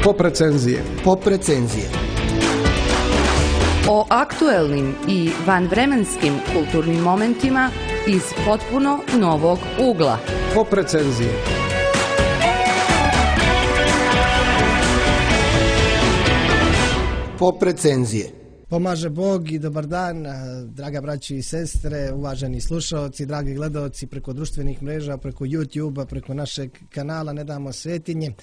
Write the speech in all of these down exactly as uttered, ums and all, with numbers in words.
Pop recenzije. Pop recenzije. O aktuelnim i vanvremenskim kulturnim momentima iz potpuno novog ugla. Pop recenzije. Pop recenzije. Pomaže Bog i dobar dan, draga braći i sestre, uvaženi slušaoci, dragi gledaoci preko društvenih mreža, preko YouTube-a, preko našeg kanala Ne damo svetinje.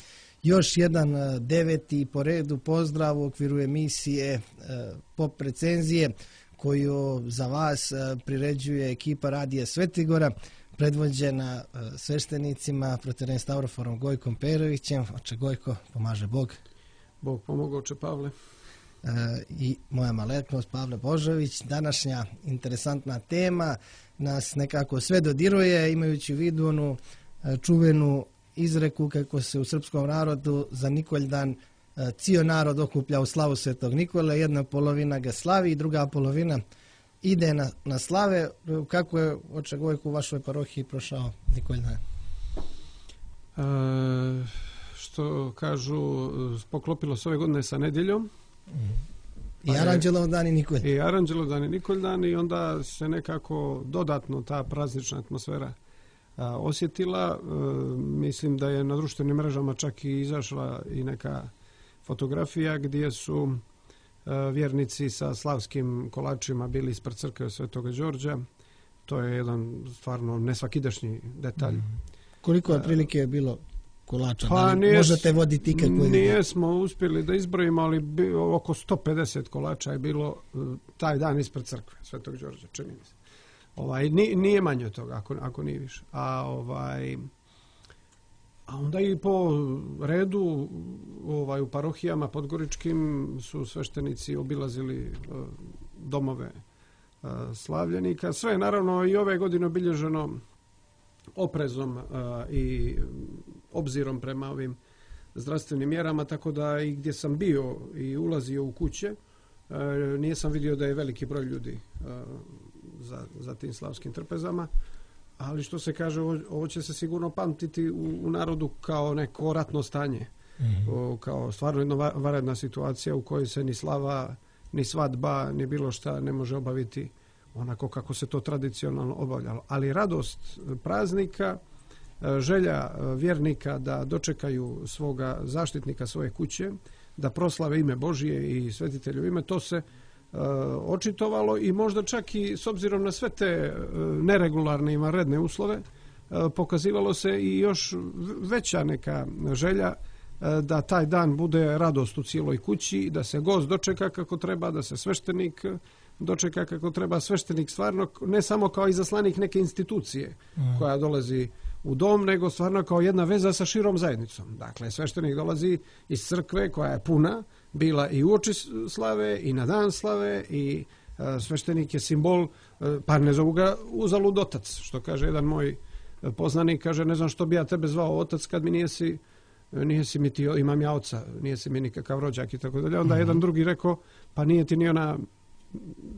Još jedan deveti po redu pozdrav u okviru emisije Pop recenzije koju za vas priređuje ekipa Radija Svetigora, predvođena sveštenicima protorejem Stavroforom Gojkom Perovićem. Oče Gojko, pomaže Bog. Bog pomogao, oče Pavle. E, I moja maletnost Pavle Božović. Današnja interesantna tema nas nekako sve dodiruje, imajući u vidu onu čuvenu izreku kako se u srpskom narodu za Nikoljdan cijel narod okuplja u slavu Svetog Nikole, jedna polovina ga slavi i druga polovina ide na, na slave. Kako je, oče Gojko, u vašoj parohiji prošao Nikoljdan? E, što kažu, poklopilo se ove godine sa nedjeljom. I Aranđelov dan i Nikoljdan. I Aranđelov dan i Nikoljdan i onda se nekako dodatno ta praznična atmosfera a, osjetila. E, mislim da je na društvenim mrežama čak i izašla i neka fotografija gdje su a, vjernici sa slavskim kolačima bili ispred crkve Svetoga Đorđa. To je jedan stvarno nesvakidašnji detalj. Mm. Koliko je prilike je bilo kolača? Pa da li nije, možete voditi ikakvu? Nijesmo uspjeli da izbrojimo, ali bi, oko sto pedeset kolača je bilo taj dan ispred crkve Svetog Đorđa, čini mi se. Ovaj, nije, nije manje od toga, ako, ako nije više. A, ovaj, a onda i po redu ovaj, u parohijama podgoričkim su sveštenici obilazili uh, domove uh, slavljenika. Sve je naravno i ove godine obilježeno oprezom uh, i obzirom prema ovim zdravstvenim mjerama, tako da i gdje sam bio i ulazio u kuće, uh, nisam vidio da je veliki broj ljudi uh, za, za tim slavskim trpezama, ali što se kaže, ovo, ovo će se sigurno pamtiti u, u narodu kao neko ratno stanje, mm-hmm. o, kao stvarno jedna vanredna situacija u kojoj se ni slava, ni svadba, ni bilo šta ne može obaviti onako kako se to tradicionalno obavljalo. Ali radost praznika, želja vjernika da dočekaju svoga zaštitnika svoje kuće, da proslave ime Božije i svetitelju ime, to se uh, očitovalo i možda čak i s obzirom na sve te uh, neregularne i vanredne uslove, uh, pokazivalo se i još veća neka želja uh, da taj dan bude radost u cijeloj kući, da se gost dočeka kako treba, da se sveštenik dočeka kako treba, sveštenik stvarno ne samo kao izaslanik neke institucije mm. koja dolazi u dom, nego stvarno kao jedna veza sa širom zajednicom. Dakle, sveštenik dolazi iz crkve koja je puna, bila i uoči slave i na dan slave i uh, sveštenik je simbol, uh, pa ne zovu ga uzalud otac, što kaže jedan moj poznanik, kaže ne znam što bi ja tebe zvao otac kad mi nijesi, nijesi mi ti, imam ja oca, nijesi mi nikakav rođak i tako dalje. Onda mm. jedan drugi rekao, pa nije ti ni ona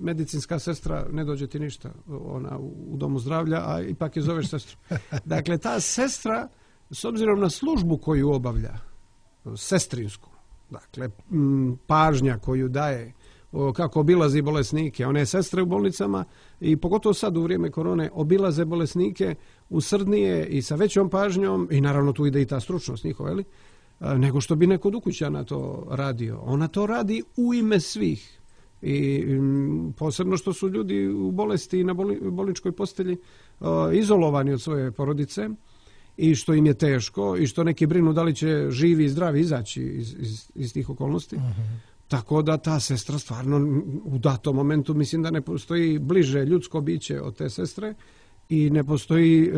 medicinska sestra, ne dođe ti ništa, ona u domu zdravlja, a ipak je zoveš sestru. Dakle, ta sestra, s obzirom na službu koju obavlja, sestrinsku, dakle, pažnja koju daje, kako obilazi bolesnike, one sestre u bolnicama i pogotovo sad u vrijeme korone obilaze bolesnike usrdnije i sa većom pažnjom i naravno tu ide i ta stručnost njihova, ali, nego što bi neko od ukućana to radio. Ona to radi u ime svih. I posebno što su ljudi u bolesti i na bolničkoj postelji uh, izolovani od svoje porodice i što im je teško i što neki brinu da li će živi i zdravi izaći iz, iz, iz tih okolnosti. Uh-huh. Tako da ta sestra stvarno u datom momentu mislim da ne postoji bliže ljudsko biće od te sestre i ne postoji uh,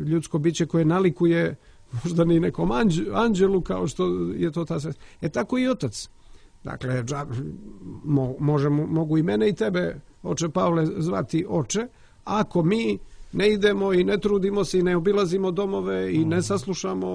ljudsko biće koje nalikuje možda ni nekom anđ, anđelu kao što je to ta sestra. E tako i otac. Dakle, mo, možemo, mogu i mene i tebe, oče Pavle, zvati oče, ako mi ne idemo i ne trudimo se i ne obilazimo domove i ne saslušamo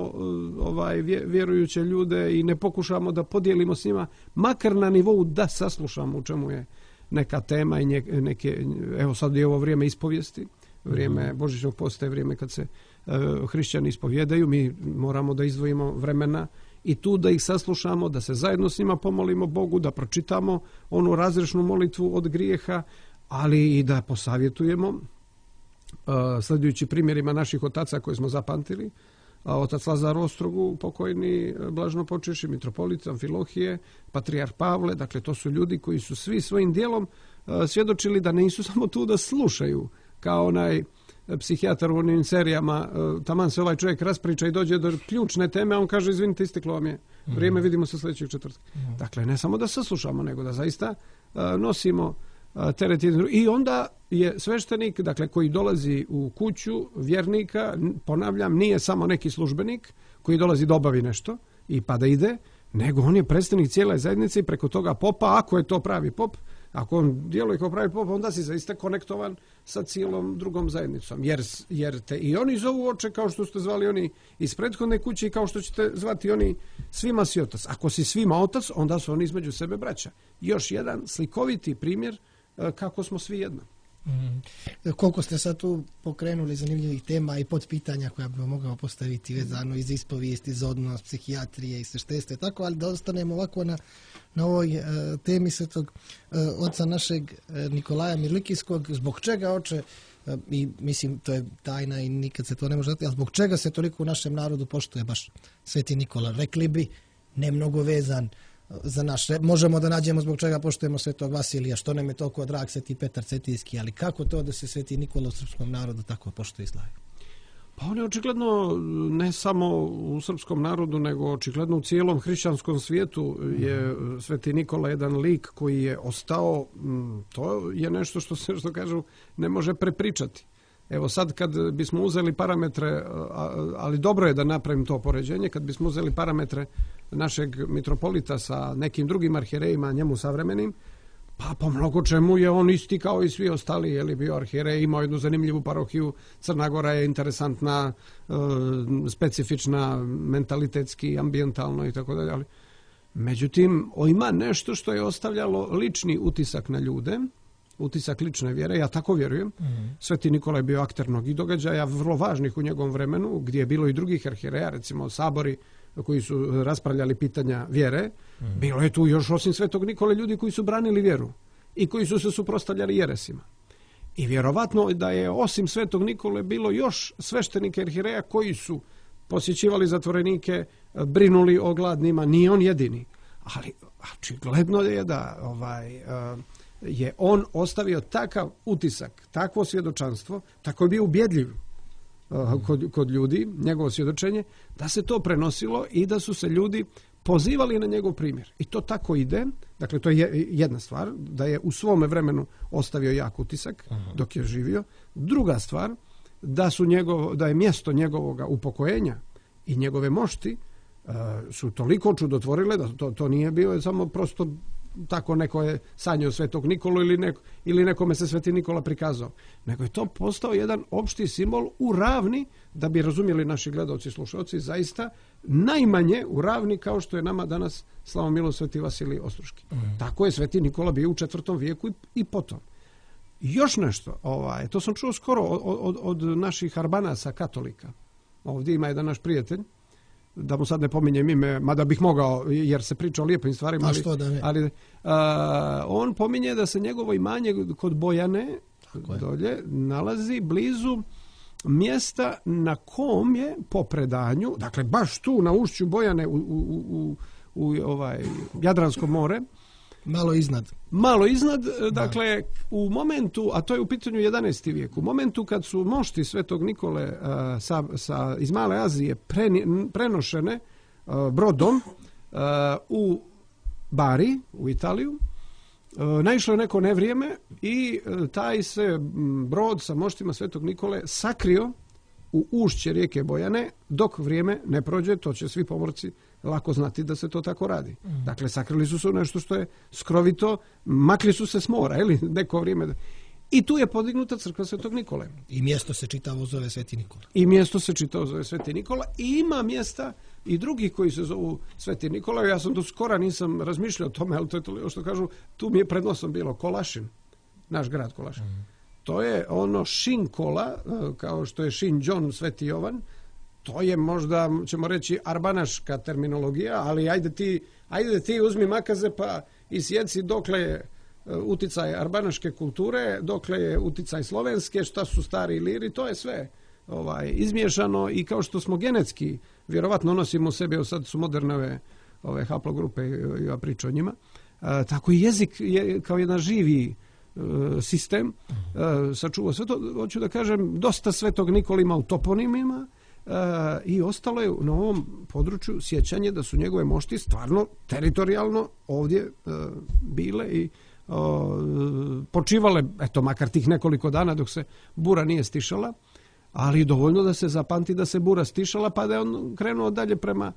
ovaj, vjerujuće ljude i ne pokušamo da podijelimo s njima, makar na nivou da saslušamo u čemu je neka tema i neke, evo sad je ovo vrijeme ispovijesti, vrijeme Božićnog posta je vrijeme kad se uh, hrišćani ispovjedaju, mi moramo da izdvojimo vremena i tu da ih saslušamo, da se zajedno s njima pomolimo Bogu, da pročitamo onu razrešnu molitvu od grijeha, ali i da posavjetujemo uh, sljedujući primjerima naših otaca koje smo zapamtili. Otac Lazar Ostrogu, pokojni blažno počeši, mitropolit Amfilohije, patrijarh Pavle, dakle to su ljudi koji su svi svojim dijelom uh, svjedočili da nisu samo tu da slušaju, kao onaj psihijatar u onim serijama, uh, taman se ovaj čovjek raspriča i dođe do ključne teme, a on kaže izvinite, isteklo vam je vrijeme, vidimo se sljedećeg četvrtka. Mm. Dakle, ne samo da saslušamo, nego da zaista uh, nosimo teret. I onda je sveštenik, dakle, koji dolazi u kuću vjernika, ponavljam, nije samo neki službenik koji dolazi da obavi nešto i pa da ide, nego on je predstavnik cijele zajednice i preko toga popa, ako je to pravi pop, ako on djeluje kao pravi pop, onda si zaista konektovan sa cijelom drugom zajednicom. Jer, jer te i oni zovu oče, kao što ste zvali oni iz prethodne kuće i kao što ćete zvati oni svima si otac. Ako si svima otac, onda su oni između sebe braća. Još jedan slikoviti primjer kako smo svi jedno. Mm. Koliko ste sad tu pokrenuli zanimljivih tema i podpitanja koja bi mogao postaviti vezano iz ispovijesti, za odnos psihijatrije i sveštenstva, tako, ali da ostanemo ovako na, na ovoj uh, temi svetog uh, oca našeg uh, Nikolaja Mirlikijskog. Zbog čega, oče, uh, i mislim to je tajna i nikad se to ne može dati, ali zbog čega se toliko u našem narodu poštuje baš Sveti Nikola? Rekli bi, ne mnogo vezan za naše. Možemo da nađemo zbog čega poštujemo Svetog Vasilija, što nam je toliko drag Sveti Petar Cetinski, ali kako to da se Sveti Nikola u srpskom narodu tako poštuje i slavi? Pa on je očigledno ne samo u srpskom narodu, nego očigledno u cijelom hrišćanskom svijetu je Sveti Nikola jedan lik koji je ostao, to je nešto što se, što kažu, ne može prepričati. Evo sad kad bismo uzeli parametre, ali dobro je da napravim to poređenje, kad bismo uzeli parametre našeg mitropolita sa nekim drugim arhijerejima, njemu savremenim, pa po mnogo čemu je on isti kao i svi ostali, je li bio arhijerej, imao jednu zanimljivu parohiju, Crna Gora je interesantna, specifična, mentalitetski, ambijentalno i tako dalje, ali međutim, ima nešto što je ostavljalo lični utisak na ljude, utisak lične vjere, ja tako vjerujem. Mm-hmm. Sveti Nikola je bio akter mnogih događaja, vrlo važnih u njegovom vremenu, gdje je bilo i drugih arhijereja, recimo sabori koji su raspravljali pitanja vjere. Mm-hmm. Bilo je tu još osim Svetog Nikole ljudi koji su branili vjeru i koji su se suprotstavljali jeresima. I vjerovatno da je osim Svetog Nikole bilo još sveštenika arhijereja koji su posjećivali zatvorenike, brinuli o gladnima, nije on jedini. Ali očigledno je da ovaj uh, je on ostavio takav utisak, takvo svjedočanstvo, tako je bio ubjedljiv uh, kod, kod ljudi, njegovo svjedočenje, da se to prenosilo i da su se ljudi pozivali na njegov primjer. I to tako ide, dakle to je jedna stvar, da je u svome vremenu ostavio jak utisak dok je živio. Druga stvar, da, su njegov, da je mjesto njegovog upokojenja i njegove mošti uh, su toliko čudotvorile da to, to nije bio samo prosto tako neko je sanjao Svetog Nikolu ili, neko, ili nekome se Sveti Nikola prikazao. Nego je to postao jedan opšti simbol u Ravni, da bi razumjeli naši gledalci i slušalci, zaista najmanje u Ravni kao što je nama danas slavomilo Sveti Vasilij Ostroški. Mm. Tako je Sveti Nikola bio u četvrtom vijeku i, i potom. Još nešto, ovaj, to sam čuo skoro od, od, od naših arbanasa katolika. Ovdje ima jedan naš prijatelj, da mu sad ne pominjem ime, mada bih mogao, jer se priča o lijepim stvarima. A što da ne? Ali, a, on pominje da se njegovo imanje kod Bojane dolje nalazi blizu mjesta na kom je po predanju, dakle baš tu na ušću Bojane u, u, u, u ovaj Jadransko more, malo iznad. Malo iznad, dakle, da. U momentu, a to je u pitanju jedanaesti vijek, u momentu kad su mošti Svetog Nikole uh, sa, sa, iz Male Azije preni, prenošene uh, brodom uh, u Bari, u Italiju, uh, naišlo je neko nevrijeme i uh, taj se brod sa moštima Svetog Nikole sakrio u ušće rijeke Bojane, dok vrijeme ne prođe, to će svi pomorci lako znati da se to tako radi. Mm. Dakle, sakrili su se u nešto što je skrovito, makli su se s mora, ili neko vrijeme. I tu je podignuta crkva Svetog Nikole. I mjesto se čitavo zove Sveti Nikola. I mjesto se čitavo zove Sveti Nikola i ima mjesta i drugih koji se zovu Sveti Nikola. Ja sam do skora nisam razmišljao o tome, ali to je to što kažu, tu mi je pred nosom bilo Kolašin, naš grad Kolašin. Mm. To je ono Šin Kola, kao što je Šin John, Sveti Jovan, to je možda, ćemo reći, arbanaška terminologija, ali ajde ti, ajde ti uzmi makaze pa isjeci dokle je uticaj arbanaške kulture, dokle je uticaj slovenske, šta su stari liri, to je sve ovaj, izmiješano i kao što smo genetski, vjerovatno nosimo u sebi, evo sad su moderne ove, ove haplogrupe, ja pričam o njima, a, tako i jezik je kao jedan živi a, sistem, a, sačuva sve to, hoću da kažem, dosta Svetog Nikola ima u toponimima, Uh, i ostalo je na ovom području sjećanje da su njegove mošti stvarno teritorijalno ovdje uh, bile i uh, počivale, eto, makar tih nekoliko dana dok se bura nije stišala, ali dovoljno da se zapamti da se bura stišala pa da je on krenuo dalje prema,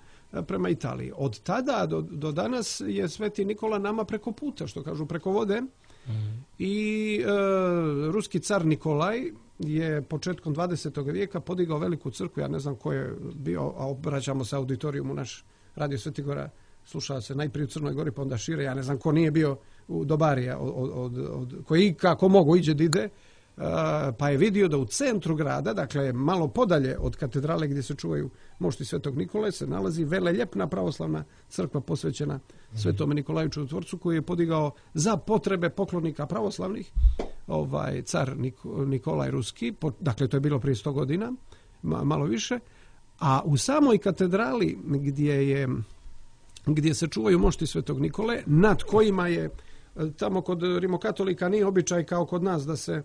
prema Italiji. Od tada do, do danas je Sveti Nikola nama preko puta, što kažu, preko vode. Mm. I uh, ruski car Nikolaj je početkom dvadesetog vijeka podigao veliku crkvu, ja ne znam ko je bio, a obraćamo se auditorijumu, naš Radio Sveti Gora slušao se najprije u Crnoj Gori, pa onda šire, ja ne znam ko nije bio u Dobarija, od, od, od, koji kako mogu iđe da ide, uh, pa je vidio da u centru grada, dakle malo podalje od katedrale gdje se čuvaju mošti Svetog Nikole, se nalazi veleljepna pravoslavna crkva posvećena Svetome Nikolaju Čudotvorcu, koji je podigao za potrebe poklonika pravoslavnih ovaj car Nikolaj Ruski, dakle to je bilo prije sto godina, malo više, a u samoj katedrali gdje je gdje se čuvaju mošti Svetog Nikole, nad kojima je tamo kod rimokatolika nije običaj kao kod nas da se,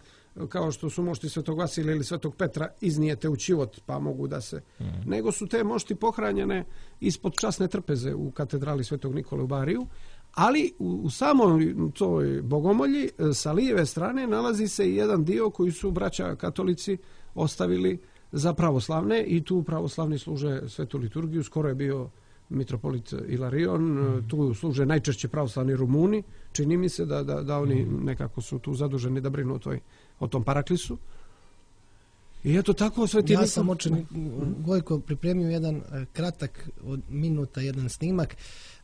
kao što su mošti Svetog Vasilija ili Svetog Petra, iznijete u čivot pa mogu da se, mm. nego su te mošti pohranjene ispod časne trpeze u katedrali Svetog Nikole u Bariju, ali u, u samoj toj bogomolji sa lijeve strane nalazi se i jedan dio koji su braća katolici ostavili za pravoslavne i tu pravoslavni služe svetu liturgiju. Skoro je bio mitropolit Ilarion, mm. tu služe najčešće pravoslavni Rumuni, čini mi se da, da, da oni nekako su tu zaduženi da brinu o, toj, o tom paraklisu. I eto tako Sveti Nikola... Ja sam očin, Gojko, pripremio jedan kratak od minuta, jedan snimak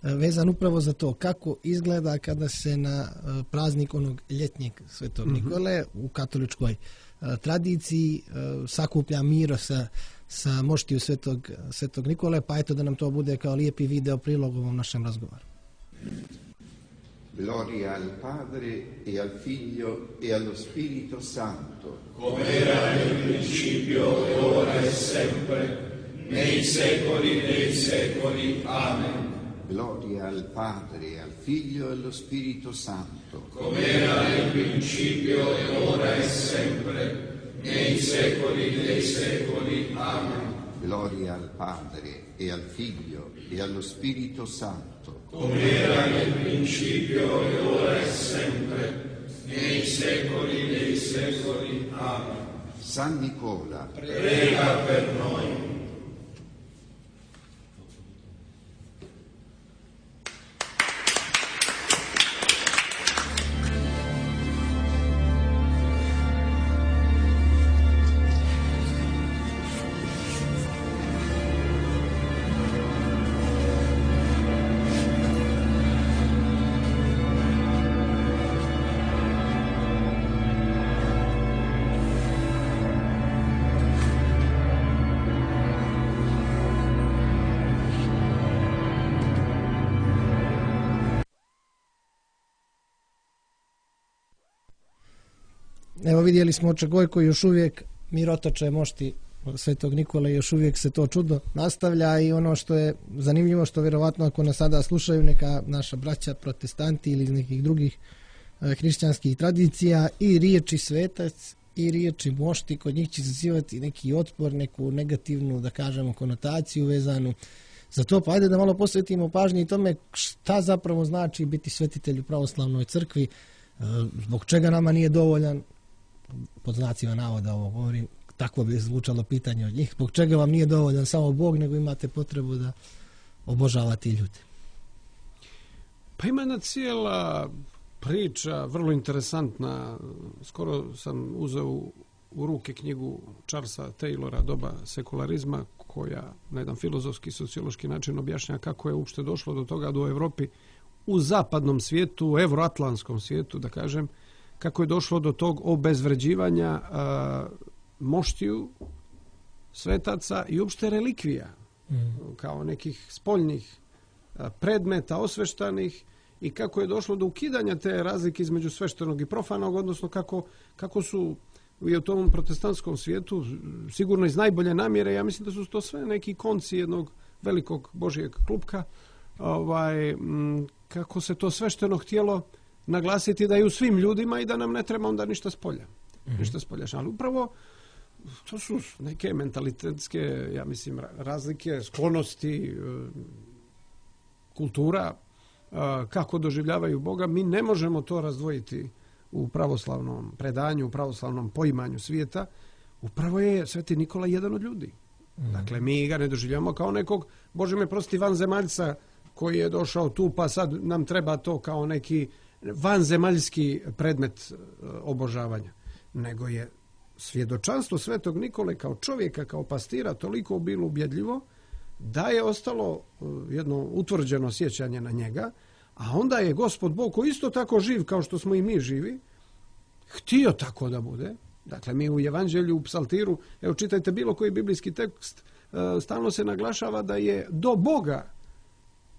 vezan upravo za to kako izgleda kada se na praznik onog ljetnjeg Svetog mm-hmm. Nikole u katoličkoj tradiciji sakuplja miro sa, sa moštiju Svetog, Svetog Nikole, pa eto da nam to bude kao lijepi video prilog u ovom našem razgovoru. Gloria al Padre e al Figlio e allo Spirito Santo, come era nel principio e ora e sempre, nei secoli dei secoli. Amen. Gloria al Padre e al Figlio e allo Spirito Santo, come era nel principio e ora e sempre, nei secoli dei secoli. Amen. Gloria al Padre e al Figlio e allo Spirito Santo, come era nel principio e ora e sempre, nei secoli dei secoli. Amen. San Nicola, prega per noi. Evo vidjeli smo oče Gojko, još uvijek mirotoče mošti Svetog Nikole, još uvijek se to čudo nastavlja i ono što je zanimljivo, što vjerovatno ako nas sada slušaju neka naša braća protestanti ili iz nekih drugih e, hrišćanskih tradicija, i riječi svetac i riječi mošti kod njih će izazivati neki otpor, neku negativnu, da kažemo, konotaciju vezanu za to, pa ajde da malo posvetimo pažnje i tome šta zapravo znači biti svetitelj u pravoslavnoj crkvi, e, zbog čega nama nije dovoljan, pod znacima navoda ovo govorim, takvo bi zvučalo pitanje od njih, zbog čega vam nije dovoljan samo Bog, nego imate potrebu da obožavate ljude. Pa ima jedna cijela priča, vrlo interesantna. Skoro sam uzeo u, u ruke knjigu Charlesa Taylora Doba sekularizma, koja na jedan filozofski, sociološki način objašnja kako je uopšte došlo do toga da u Evropi, u zapadnom svijetu, u evroatlantskom svijetu, da kažem, kako je došlo do tog obezvređivanja a, moštiju svetaca i uopšte relikvija, mm. kao nekih spoljnih predmeta osveštanih i kako je došlo do ukidanja te razlike između sveštenog i profanog, odnosno kako, kako su i u tom protestantskom svijetu sigurno iz najbolje namjere, ja mislim da su to sve neki konci jednog velikog Božijeg klupka, ovaj, kako se to svešteno htjelo naglasiti da je u svim ljudima i da nam ne treba onda ništa spolja. Mm-hmm. Ništa spolja. Ali upravo to su neke mentalitetske, ja mislim, razlike, sklonosti, kultura, kako doživljavaju Boga. Mi ne možemo to razdvojiti u pravoslavnom predanju, u pravoslavnom poimanju svijeta. Upravo je Sveti Nikola jedan od ljudi. Mm. Dakle, mi ga ne doživljamo kao nekog, Bože me prosti, vanzemaljca koji je došao tu, pa sad nam treba to kao neki vanzemaljski predmet obožavanja. Nego je svjedočanstvo Svetog Nikole kao čovjeka, kao pastira toliko bilo ubjedljivo da je ostalo jedno utvrđeno sjećanje na njega, a onda je Gospod Bog, koji isto tako živ kao što smo i mi živi, htio tako da bude. Dakle, mi u Evanđelju, u Psaltiru, evo čitajte bilo koji biblijski tekst, stalno se naglašava da je do Boga.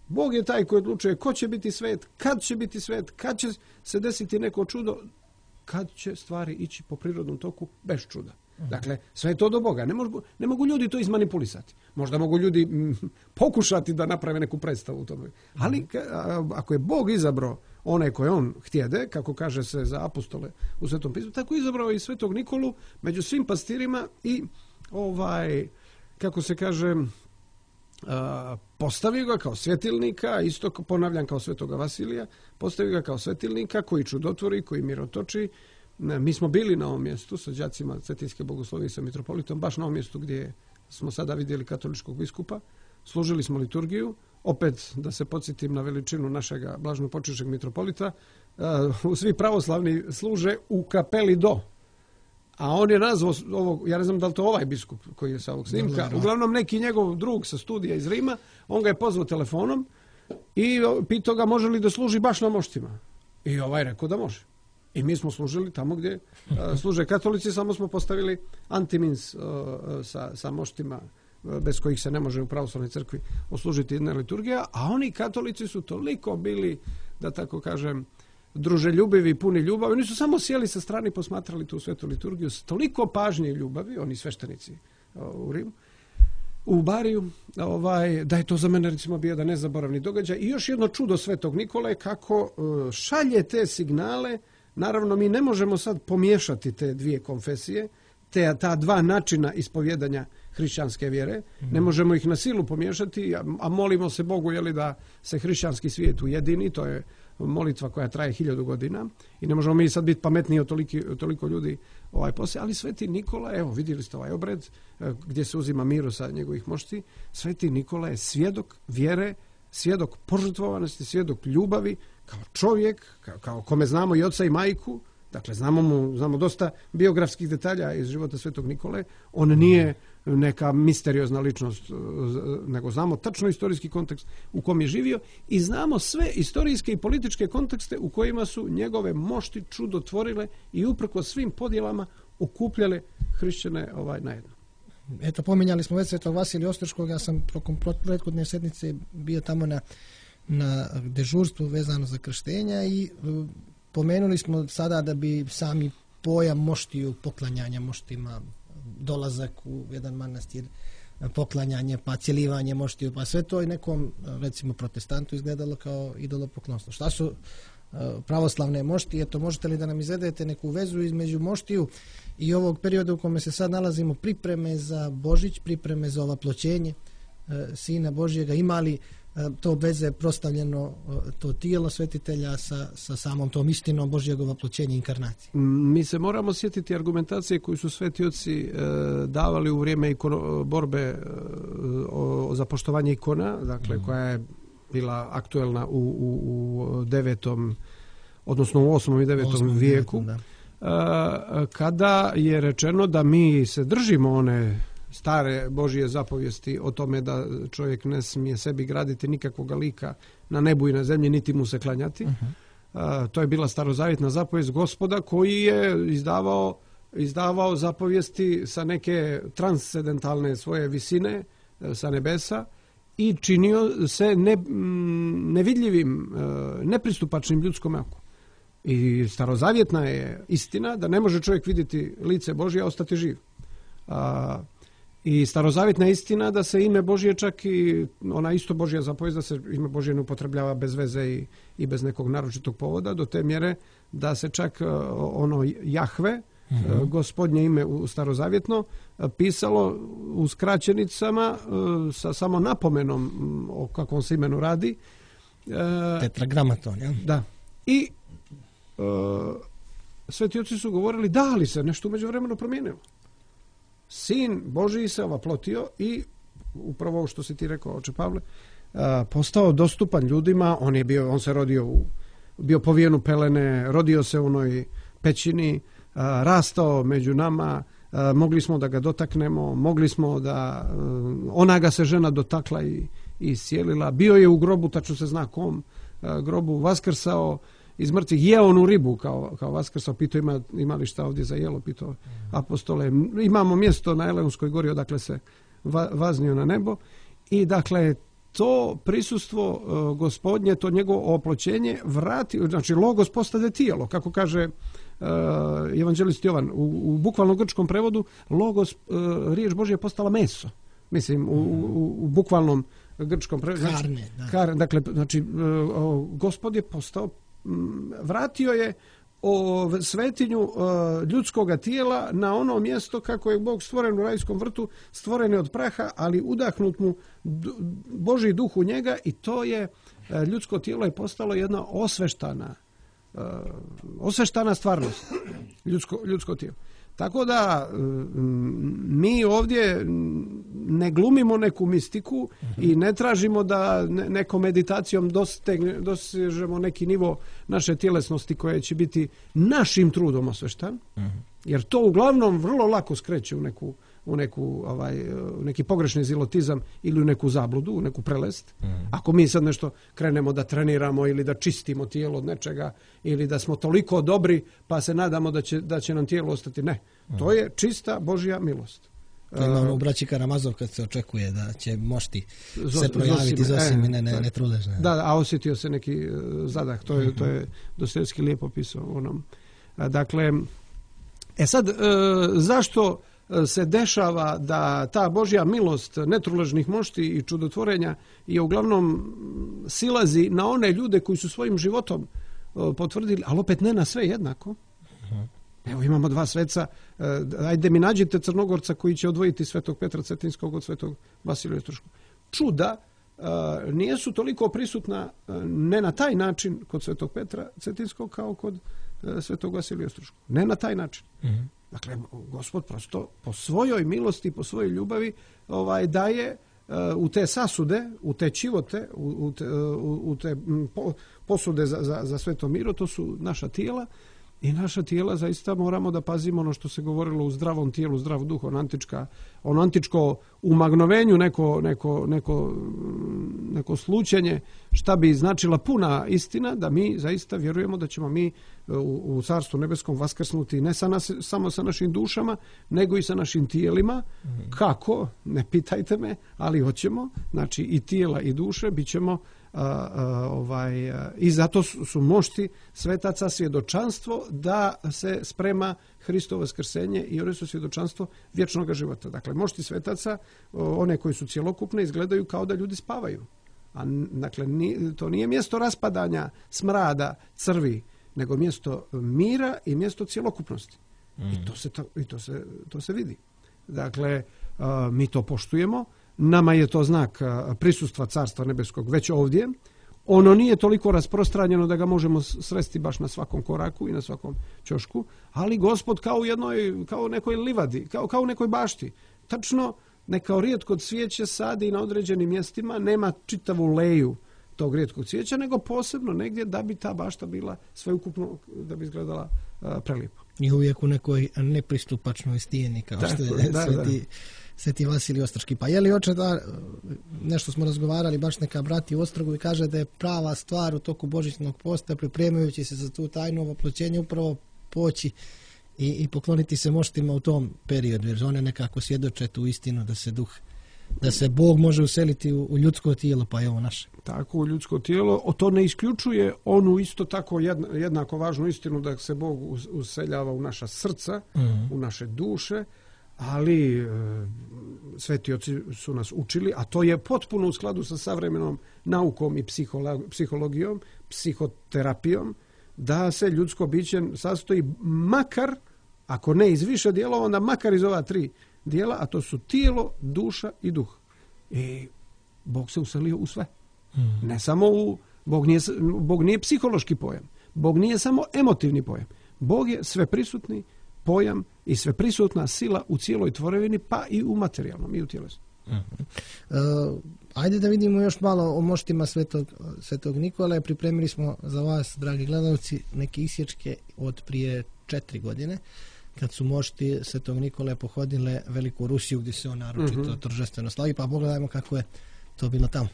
Bog je taj koji odlučuje ko će biti svet, kad će biti svet, kad će se desiti neko čudo, kad će stvari ići po prirodnom toku bez čuda. Dakle, sve je to do Boga. Ne mogu, ne mogu ljudi to izmanipulisati. Možda mogu ljudi m, pokušati da naprave neku predstavu u tome. Ali a, ako je Bog izabrao one koje on htjede, kako kaže se za apostole u Svetom pismu, tako je izabrao i Svetog Nikolu među svim pastirima i ovaj, kako se kaže, a, postavio ga kao svetilnika, isto ponavljam kao Svetoga Vasilija, postavio ga kao svetilnika koji čudotvori, koji mirotoči. Mi smo bili na ovom mjestu sa đacima Cetinske bogoslovije sa mitropolitom, baš na ovom mjestu gdje smo sada vidjeli katoličkog biskupa. Služili smo liturgiju. Opet da se podsjetim na veličinu našega blaženopočivšeg mitropolita. Uh, svi pravoslavni služe u kapeli do. A on je nazvao ovog, ja ne znam da li to ovaj biskup koji je sa ovog snimka, uglavnom neki njegov drug sa studija iz Rima, on ga je pozvao telefonom i pitao ga može li da služi baš na moštima. I ovaj rekao da može. I mi smo služili tamo gdje uh, služe katolici, samo smo postavili antimins uh, sa, sa moštima uh, bez kojih se ne može u pravoslavnoj crkvi oslužiti jedna liturgija, a oni katolici su toliko bili, da tako kažem, druželjubivi, puni ljubavi. Oni su samo sjeli sa strane i posmatrali tu svetu liturgiju s toliko pažnje i ljubavi, oni sveštenici uh, u Rimu, u Bariju, ovaj, da je to za mene recimo bio jedan nezaboravni događaj. I još jedno čudo Svetog Nikole kako uh, šalje te signale. Naravno, mi ne možemo sad pomiješati te dvije konfesije, te ta dva načina ispovjedanja hrišćanske vjere. Mm. Ne možemo ih na silu pomiješati, a, a molimo se Bogu jeli, da se hrišćanski svijet ujedini. To je molitva koja traje hiljadu godina i ne možemo mi sad biti pametniji od toliki, toliko ljudi ovaj poslije. Ali Sveti Nikola, evo vidjeli ste ovaj obred gdje se uzima miro sa njegovih mošti. Sveti Nikola je svjedok vjere, svjedok požrtvovanosti, svjedok ljubavi, kao čovjek, kao, kao kome znamo i oca i majku, dakle znamo mu, znamo dosta biografskih detalja iz života Svetog Nikole. On nije neka misteriozna ličnost, nego znamo tačno istorijski kontekst u kom je živio i znamo sve istorijske i političke kontekste u kojima su njegove mošti čudotvorile i uprkos svim podjelama okupljale hrišćane ovaj najedno. Eto, pominjali smo već Svetog Vasilija Ostroškog, ja sam tokom prethodne sedmice bio tamo na na dežurstvu vezano za krštenja i pomenuli smo sada da bi sami pojam moštiju, poklanjanja moštima, dolazak u jedan manastir, poklanjanje, pa cjelivanje moštiju, pa sve to i nekom, recimo, protestantu izgledalo kao idolopoklonstvo. Šta su pravoslavne moštije? To možete li da nam izvedete neku vezu između moštiju i ovog perioda u kome se sad nalazimo, pripreme za Božić, pripreme za ovaploćenje Sina Božjega, imali to veze prostavljeno to tijelo svetitelja sa, sa samom tom istinom Božjeg ovaploćenja inkarnacije? Mi se moramo sjetiti argumentacije koju su sveti oci e, davali u vrijeme ikono, borbe e, o, za poštovanje ikona, dakle mm. koja je bila aktuelna u, u, u devetom, odnosno u osmom i devetom osmom vijeku, da. E, kada je rečeno da mi se držimo one stare Božje zapovijesti o tome da čovjek ne smije sebi graditi nikakvog lika na nebu i na zemlji, niti mu se klanjati. Uh-huh. Uh, to je bila starozavjetna zapovijest Gospoda koji je izdavao izdavao zapovijesti sa neke transcendentalne svoje visine, sa nebesa, i činio se ne, nevidljivim, nepristupačnim ljudskom oku. I starozavjetna je istina da ne može čovjek vidjeti lice Božje, a ostati živ. A, I starozavjetna je istina da se ime Božje, čak i ona isto Božja zapovijest, da se ime Božje ne upotrebljava bez veze i, i bez nekog naročitog povoda, do te mjere da se čak ono Jahve, mm-hmm. gospodnje ime u starozavjetno, pisalo u skraćenicama sa samo napomenom o kakvom se imenu radi. Tetragramaton, ja? Da. I e, sveti oci su govorili da li se nešto u međuvremenu promijenilo. Sin Božiji se ovaplotio i upravo ovo što si ti rekao, oče Pavle, a, postao dostupan ljudima. On je bio, on se rodio u, bio povijen u pelene, rodio se u onoj pećini, a, rastao među nama, a, mogli smo da ga dotaknemo, mogli smo da a, ona ga se žena dotakla i, i iscijelila. Bio je u grobu, tačno se zna kom a, grobu, vaskrsao iz mrtvih, jeo onu ribu kao, kao vaskrsao, pitao ima, ima li šta ovdje za jelo, pitao apostole. Imamo mjesto na Eleonskoj gori odakle se va, vaznio na nebo i dakle to prisustvo uh, gospodnje, to njegovo oploćenje vrati, znači logos postade tijelo, kako kaže uh, evanđelist Jovan, u, u bukvalnom grčkom prevodu logos, uh, riječ Božja je postala meso, mislim u, u, u bukvalnom grčkom prevodu. Karne, da. Kar, dakle, znači uh, gospod je postao, vratio je o svetinju uh, ljudskoga tijela na ono mjesto kako je Bog stvoren u rajskom vrtu, stvoren je od praha, ali udahnut mu d- Božji duh u njega i to je uh, ljudsko tijelo je postalo jedna osveštana uh, osveštana stvarnost, ljudsko, ljudsko tijelo. Tako da mi ovdje ne glumimo neku mistiku i ne tražimo da nekom meditacijom dostegne, dosežemo neki nivo naše tjelesnosti koje će biti našim trudom osveštan, jer to uglavnom vrlo lako skreće u neku u neku ovaj u neki pogrešni zilotizam ili u neku zabludu, u neku prelest. Mm. Ako mi sad nešto krenemo da treniramo ili da čistimo tijelo od nečega ili da smo toliko dobri pa se nadamo da će da će nam tijelo ostati, ne. Mm. To je čista Božja milost. To je ono u braći Karamazov kad se očekuje da će mošti se projaviti Zosimine, ne, ne trudež. Ne. Da, a osjetio se neki zadah, to je, mm-hmm. to je Dostojevski lijepo pisao onom. Dakle, e sad, zašto se dešava da ta Božja milost netruležnih mošti i čudotvorenja je uglavnom silazi na one ljude koji su svojim životom potvrdili, ali opet ne na sve jednako. Evo imamo dva sveca, ajde mi nađite Crnogorca koji će odvojiti svetog Petra Cetinskog od svetog Vasilija Ostroškog. Čuda nijesu toliko prisutna ne na taj način kod svetog Petra Cetinskog kao kod svetog Vasilija Ostroškog. Ne na taj način. Mm-hmm. Dakle, Gospod prosto po svojoj milosti, po svojoj ljubavi ovaj, daje uh, u te sasude, u te čivote, u, u te, u, u te po, posude za, za, za sveto miro, to su naša tijela i naša tijela zaista moramo da pazimo ono što se govorilo u zdravom tijelu, zdrav duh, ono, antička, ono antičko umagnovenju, neko, neko, neko, neko slučenje, šta bi značila puna istina, da mi zaista vjerujemo da ćemo mi u, u Carstvu nebeskom vaskrsnuti ne sa nas, samo sa našim dušama, nego i sa našim tijelima. Mm-hmm. Kako? Ne pitajte me, ali hoćemo. Znači i tijela i duše bit ćemo A, a, ovaj, a, i zato su, su mošti svetaca svjedočanstvo da se sprema Hristovo vaskrsenje i one su svjedočanstvo vječnog života. Dakle, mošti svetaca, one koji su cjelokupne, izgledaju kao da ljudi spavaju. A dakle, ni, to nije mjesto raspadanja, smrada, crvi, nego mjesto mira i mjesto cjelokupnosti. Mm. I, to se, to, i to, se, to se vidi. Dakle, a, mi to poštujemo. Nama je to znak prisustva Carstva nebeskog već ovdje. Ono nije toliko rasprostranjeno da ga možemo sresti baš na svakom koraku i na svakom ćošku, ali Gospod kao u jednoj, kao nekoj livadi, kao, kao u nekoj bašti. Tačno, neka rijetko cvijeće sadi na određenim mjestima, nema čitavu leju tog rijetkog cvijeća, nego posebno negdje da bi ta bašta bila sveukupno, da bi izgledala a, prelijepo. I uvijek u nekoj nepristupačnoj stijeni, kao što je da, sveti, da. sveti Vasilij Ostroški. Pa je li oče da, nešto smo razgovarali, baš neka brati u Ostrogu i kaže da je prava stvar u toku božićnog posta, pripremajući se za tu tajnu oploćenje, upravo poći i, i pokloniti se moštima u tom periodu, jer one nekako svjedoče tu istinu da se duh, da se Bog može useliti u, u ljudsko tijelo, pa je ovo naše. Tako, u ljudsko tijelo. O to ne isključuje onu isto tako jedna, jednako važnu istinu da se Bog useljava u naša srca, mm. u naše duše, ali e, sveti oci su nas učili, a to je potpuno u skladu sa savremenom naukom i psihologijom, psihoterapijom, da se ljudsko biće sastoji makar, ako ne iz više dijelova, onda makar iz ova tri dijela, a to su tijelo, duša i duh. I Bog se uselio u sve. Mm. Ne samo u... Bog nije, Bog nije psihološki pojam. Bog nije samo emotivni pojam. Bog je sveprisutni pojam i sveprisutna sila u cijeloj tvorevini, pa i u materijalnom i u tjelesnom. Mm-hmm. Uh, ajde da vidimo još malo o moštima Svetog, Svetog Nikole. Pripremili smo za vas, dragi gledalci, neke isječke od prije četiri godine, kad su mošti Svetog Nikole pohodile Veliku Rusiju, gdje se on naročito mm-hmm. торжествено slavi, pa pogledajmo kako je to bilo tamo.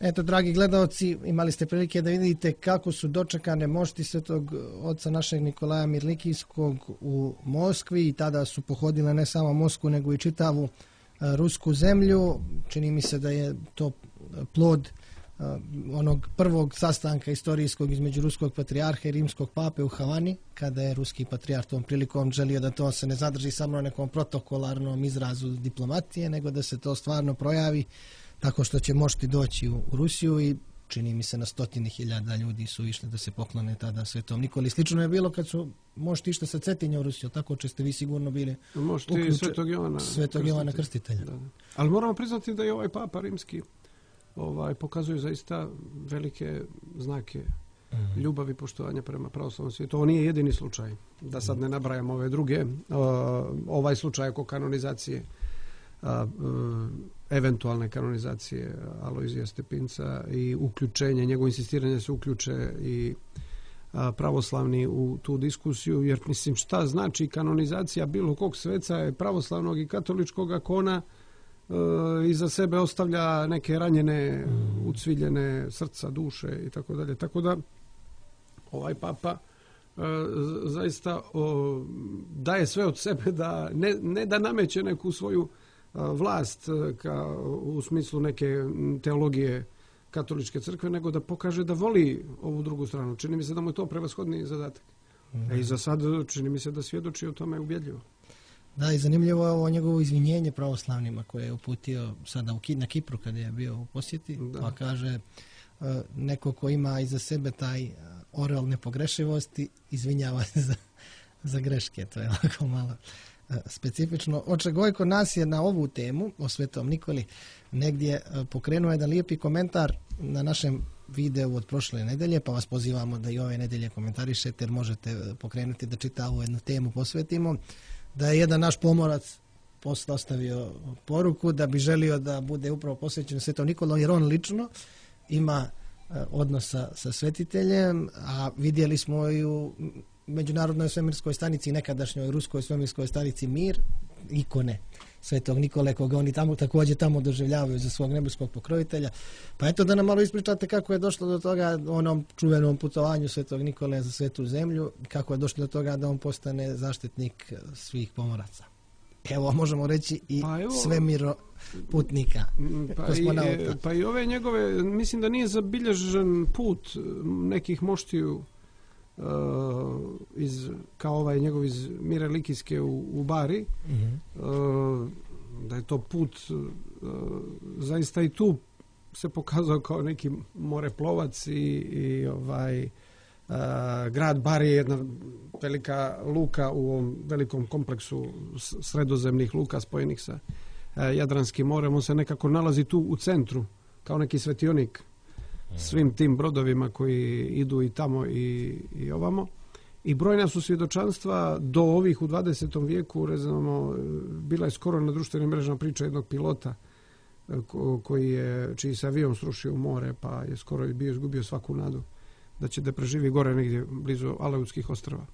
Eto, dragi gledalci, imali ste prilike da vidite kako su dočekane mošti Svetog oca našeg Nikolaja Mirlikijskog u Moskvi, i tada su pohodile ne samo Moskvu nego i čitavu rusku zemlju. Čini mi se da je to plod onog prvog sastanka istorijskog između ruskog patrijarha i rimskog pape u Havani, kada je ruski patrijarh tom prilikom želio da to se ne zadrži samo na nekom protokolarnom izrazu diplomatije, nego da se to stvarno projavi tako što će mošti doći u, u Rusiju, i čini mi se na stotine hiljada ljudi su išli da se poklone tada Svetom Nikoli. Slično je bilo kad su mošti išli sa Cetinja u Rusiju, tako što ste vi sigurno bili mošti uključe, Svetog Jovana, Svetog Jovana Krstitelja. Da, da. Ali moramo priznati da je ovaj papa rimski ovaj, pokazuje zaista velike znake mm-hmm. ljubavi i poštovanja prema pravoslavnom svijetu. Ovo nije jedini slučaj, da sad ne nabrajam ove druge. Ovaj slučaj oko kanonizacije, eventualne kanonizacije Alojzija Stepinca i uključenje, njegovo insistiranje da se uključe i pravoslavni u tu diskusiju, jer mislim šta znači kanonizacija bilo kog sveca je pravoslavnog i katoličkog, ako ona e, iza sebe ostavlja neke ranjene, mm. ucviljene srca, duše i tako dalje. Tako da ovaj papa e, zaista o, daje sve od sebe da ne, ne da nameće neku svoju vlast ka, u smislu neke teologije katoličke crkve, nego da pokaže da voli ovu drugu stranu. Čini mi se da mu je to prevashodni zadatak. Mm. I za sad čini mi se da svjedoči o tome ubjedljivo. Da, i zanimljivo je ovo njegovo izvinjenje pravoslavnima koje je uputio sada u, na Kipru kada je bio u posjeti, da. Pa kaže uh, neko ko ima iza sebe taj uh, orel nepogrešivosti izvinjava se za, za greške. To je lako malo uh, specifično. Oče Gojko nas je na ovu temu o Svetom Nikoli negdje uh, pokrenuo jedan lijepi komentar na našem videu od prošle nedelje, pa vas pozivamo da i ove nedelje komentarišete jer možete pokrenuti da čitavu jednu temu posvetimo. Da je jedan naš pomorac postavio poruku da bi želio da bude upravo posvećen Svetom Nikolom, jer on lično ima odnosa sa svetiteljem, a vidjeli smo i u Međunarodnoj svemirskoj stanici, nekadašnjoj ruskoj svemirskoj stanici Mir, ikone Svetog Nikole, koga oni tamo također tamo doživljavaju za svog nebeskog pokrovitelja. Pa eto da nam malo ispričate kako je došlo do toga onom čuvenom putovanju Svetog Nikole za svetu zemlju, kako je došlo do toga da on postane zaštitnik svih pomoraca. Evo, možemo reći i pa evo, svemiro putnika. Pa i, pa i ove njegove, mislim da nije zabilježen put nekih moštiju uh, iz, kao ovaj njegov iz Mire Likijske u, u Bari. Mm-hmm. Uh, da je to put uh, zaista i tu se pokazao kao neki moreplovac i, i ovaj uh, grad Bari je jedna velika luka u ovom velikom kompleksu sredozemnih luka spojenih sa uh, Jadranskim morem. On se nekako nalazi tu u centru kao neki svetionik svim tim brodovima koji idu i tamo i, i ovamo. I brojna su svjedočanstva do ovih u dvadesetom vijeku, recimo, bila je skoro na društvenim mrežama priča jednog pilota ko, koji je, čiji se avion srušio u more, pa je skoro bio izgubio svaku nadu da će da preživi gore negdje blizu Aleutskih ostrva.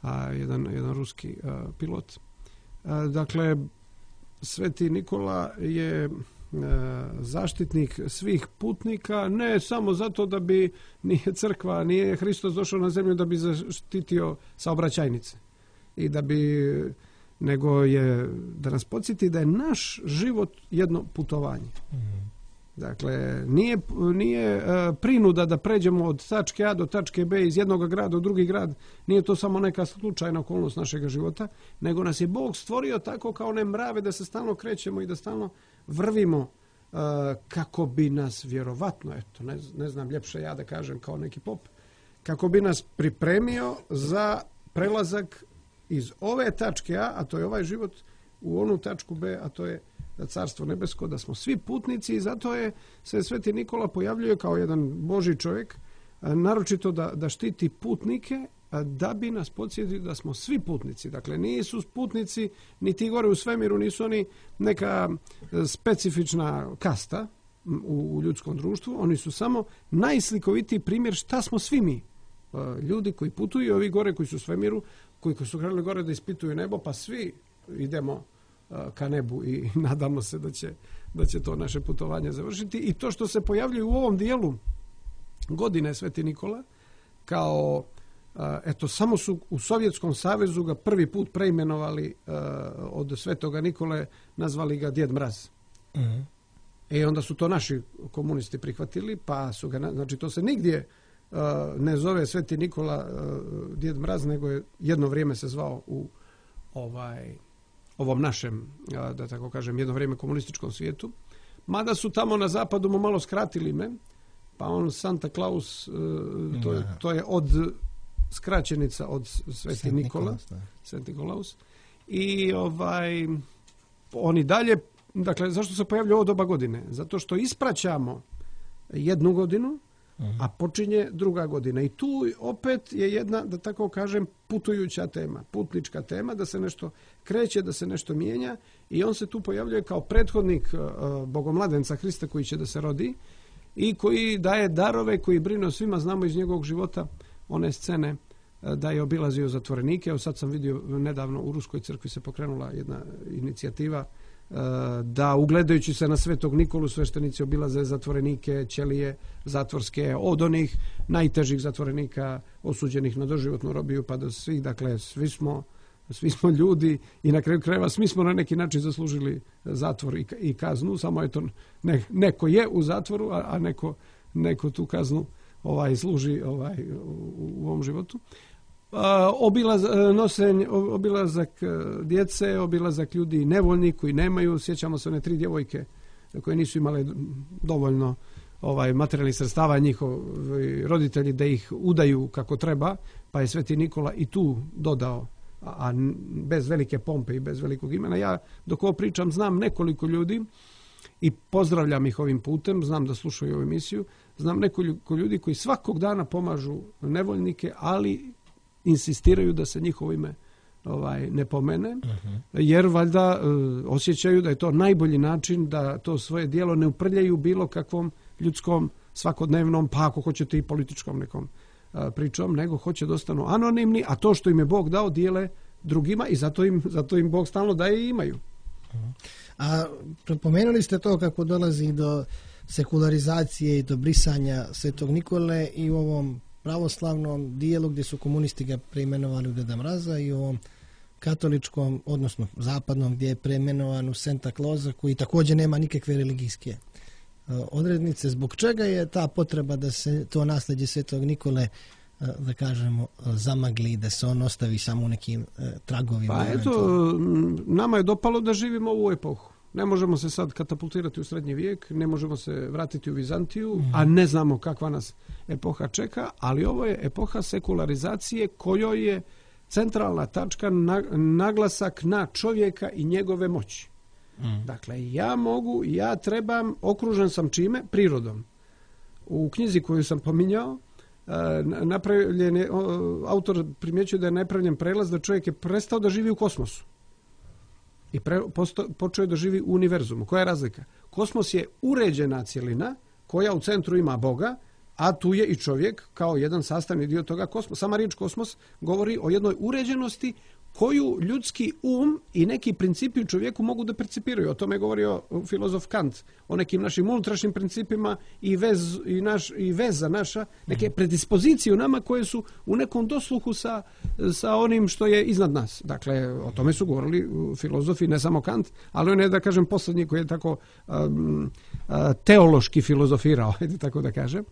A, jedan, jedan ruski a, pilot. A, dakle, Sveti Nikola je zaštitnik svih putnika, ne samo zato da bi nije crkva, nije Hristos došao na zemlju da bi zaštitio saobraćajnice i da bi, nego je da nas podsjeti da je naš život jedno putovanje. Mm. Dakle, nije, nije uh, prinuda da pređemo od tačke A do tačke B iz jednog grada u drugi grad, nije to samo neka slučajna okolnost našeg života, nego nas je Bog stvorio tako kao one mrave da se stalno krećemo i da stalno vrvimo uh, kako bi nas vjerovatno, eto, ne, ne znam ljepše ja da kažem kao neki pop, kako bi nas pripremio za prelazak iz ove tačke A, a to je ovaj život, u onu tačku B, a to je Carstvo nebesko, da smo svi putnici i zato je se Sveti Nikola pojavljuje kao jedan Božji čovjek, naročito da, da štiti putnike, da bi nas podsjetio da smo svi putnici. Dakle, nisu putnici ni ti gore u svemiru, nisu oni neka specifična kasta u, u ljudskom društvu, oni su samo najslikovitiji primjer šta smo svi mi. Ljudi koji putuju, ovi gore koji su u svemiru, koji su krenuli gore da ispituju nebo, pa svi idemo ka nebu i nadamo se da će, da će to naše putovanje završiti. I to što se pojavljuje u ovom dijelu godine Sveti Nikola, kao, eto, samo su u Sovjetskom savezu ga prvi put preimenovali od Svetoga Nikole, nazvali ga Djed Mraz. Mm-hmm. I onda su to naši komunisti prihvatili, pa su ga, znači to se nigdje ne zove Sveti Nikola Djed Mraz, nego je jedno vrijeme se zvao u ovaj ovom našem, da tako kažem, jedno vrijeme komunističkom svijetu. Mada su tamo na zapadu mu malo skratili ime, pa on Santa Claus, to je, to je od skraćenica od Sveti Nikola, Sveti Nikolaus. I ovaj, oni dalje, dakle, zašto se pojavlja ovo doba godine? Zato što ispraćamo jednu godinu, a počinje druga godina. I tu opet je jedna, da tako kažem, putujuća tema, putnička tema, da se nešto kreće, da se nešto mijenja i on se tu pojavljuje kao prethodnik uh, Bogomladenca Hrista koji će da se rodi i koji daje darove, koji brine o svima. Znamo iz njegovog života one scene uh, da je obilazio zatvorenike. Evo sad sam vidio nedavno u Ruskoj crkvi se pokrenula jedna inicijativa da ugledajući se na Svetog Nikolu sveštenici obilaze zatvorenike, ćelije zatvorske, od onih najtežih zatvorenika osuđenih na doživotnu robiju pa do svih, dakle svi smo svi smo ljudi i na kraju krajeva svi smo na neki način zaslužili zatvor i, i kaznu, samo eto ne, neko je u zatvoru, a, a neko, neko tu kaznu ovaj služi ovaj u, u ovom životu. A, obilaz, nosenj, obilazak djece, obilazak ljudi nevoljni koji nemaju, sjećamo se one tri djevojke koje nisu imale dovoljno ovaj materijalnih sredstava, njihovi roditelji da ih udaju kako treba, pa je Sveti Nikola i tu dodao, a, a bez velike pompe i bez velikog imena. Ja dok ovo pričam znam nekoliko ljudi i pozdravljam ih ovim putem, znam da slušaju ovu emisiju, znam nekoliko ljudi koji svakog dana pomažu nevoljnike, ali insistiraju da se njihovo ime ovaj ne pomene, uh-huh. jer valjda uh, osjećaju da je to najbolji način da to svoje djelo ne uprljaju bilo kakvom ljudskom, svakodnevnom, pa ako hoćete i političkom nekom uh, pričom, nego hoće da ostanu anonimni, a to što im je Bog dao dijele drugima i zato im, zato im Bog stalno daje i imaju. Uh-huh. A pomenuli ste to kako dolazi do sekularizacije i do brisanja Svetog Nikole i u ovom pravoslavnom dijelu gdje su komunisti ga preimenovali u Deda Mraza i u ovom katoličkom, odnosno zapadnom gdje je preimenovan u Santa Clausa koji također nema nikakve religijske odrednice. Zbog čega je ta potreba da se to nasljeđe Svetog Nikole, da kažemo, zamagli, da se on ostavi samo u nekim tragovima? Pa eto, nama je dopalo da živimo u ovu epohu. Ne možemo se sad katapultirati u srednji vijek, ne možemo se vratiti u Vizantiju, mm. a ne znamo kakva nas epoha čeka, ali ovo je epoha sekularizacije kojoj je centralna tačka na, naglasak na čovjeka i njegove moći. Mm. Dakle, ja mogu, ja trebam, okružen sam čime? Prirodom. U knjizi koju sam pominjao, napravljen je, autor primjećuje da je napravljen prelaz da čovjek je prestao da živi u kosmosu. I pre, posto, počeo je da živi u univerzumu. Koja je razlika? Kosmos je uređena cjelina koja u centru ima Boga, a tu je i čovjek kao jedan sastavni dio toga kosmosa. Sama riječ kosmos govori o jednoj uređenosti koju ljudski um i neki principi u čovjeku mogu da percipiraju. O tome je govorio filozof Kant, o nekim našim unutrašnjim principima i, vez, i, naš, i veza naša, neke predispozicije u nama koje su u nekom dosluhu sa, sa onim što je iznad nas. Dakle, o tome su govorili filozofi, ne samo Kant, ali on je, da kažem, posljednji koji je tako um, teološki filozofirao, ajde tako da kažem.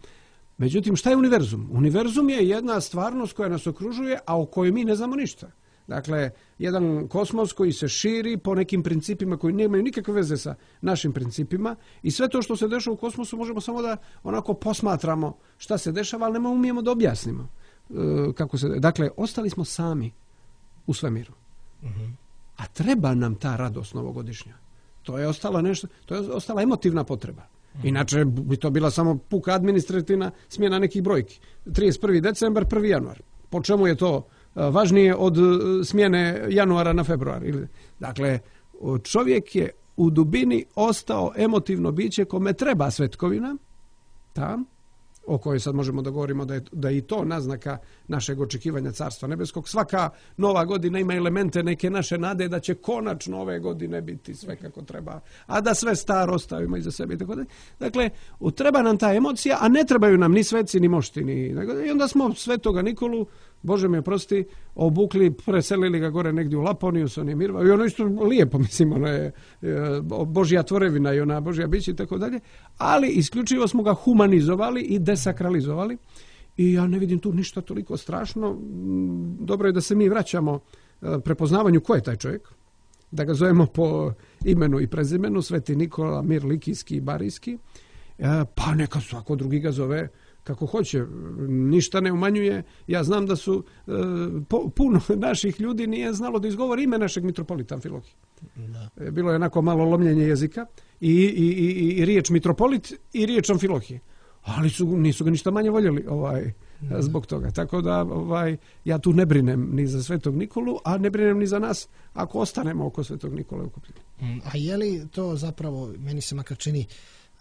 Međutim, šta je univerzum? Univerzum je jedna stvarnost koja nas okružuje, a o kojoj mi ne znamo ništa. Dakle, jedan kosmos koji se širi po nekim principima koji nemaju nikakve veze sa našim principima i sve to što se dešava u kosmosu možemo samo da onako posmatramo šta se dešava, ali ne umijemo da objasnimo. E, kako se, dakle, ostali smo sami u svemiru. Uh-huh. A treba nam ta radost novogodišnja. To je ostalo nešto, to je ostala emotivna potreba. Inače bi to bila samo puka administrativna smjena nekih brojki. trideset prvi decembar, prvi januar. Po čemu je to važnije od smjene januara na februar? Dakle, čovjek je u dubini ostao emotivno biće kome treba svetkovina, ta, o kojoj sad možemo da govorimo da je, da je i to naznaka našeg očekivanja Carstva nebeskog. Svaka nova godina ima elemente neke naše nade da će konačno ove godine biti sve kako treba, a da sve staro ostavimo iza sebe. Tako da. Dakle, treba nam ta emocija, a ne trebaju nam ni sveci, ni mošti. Ni, i onda smo Svetoga Nikolu, Bože mi oprosti, obukli, preselili ga gore negdje u Laponiju sa onim Mirva. I ono isto lijepo, mislim, ono je Božja tvorevina i ona Božja bića i tako dalje. Ali isključivo smo ga humanizovali i desakralizovali. I ja ne vidim tu ništa toliko strašno. Dobro je da se mi vraćamo prepoznavanju ko je taj čovjek. Da ga zovemo po imenu i prezimenu, Sveti Nikola, Mir Likijski i Barijski. Pa neka svako drugi ga zove kako hoće, ništa ne umanjuje. Ja znam da su e, po, puno naših ljudi nije znalo da izgovori ime našeg mitropolita Amfilohija. Da. Bilo je onako malo lomljenje jezika i, i, i, i riječ mitropolit i riječ Amfilohije. Ali su, nisu ga ništa manje voljeli ovaj, zbog toga. Tako da ovaj, ja tu ne brinem ni za Svetog Nikolu, a ne brinem ni za nas ako ostanemo oko Svetog Nikole ukupljeni. A je li to zapravo, meni se makar čini,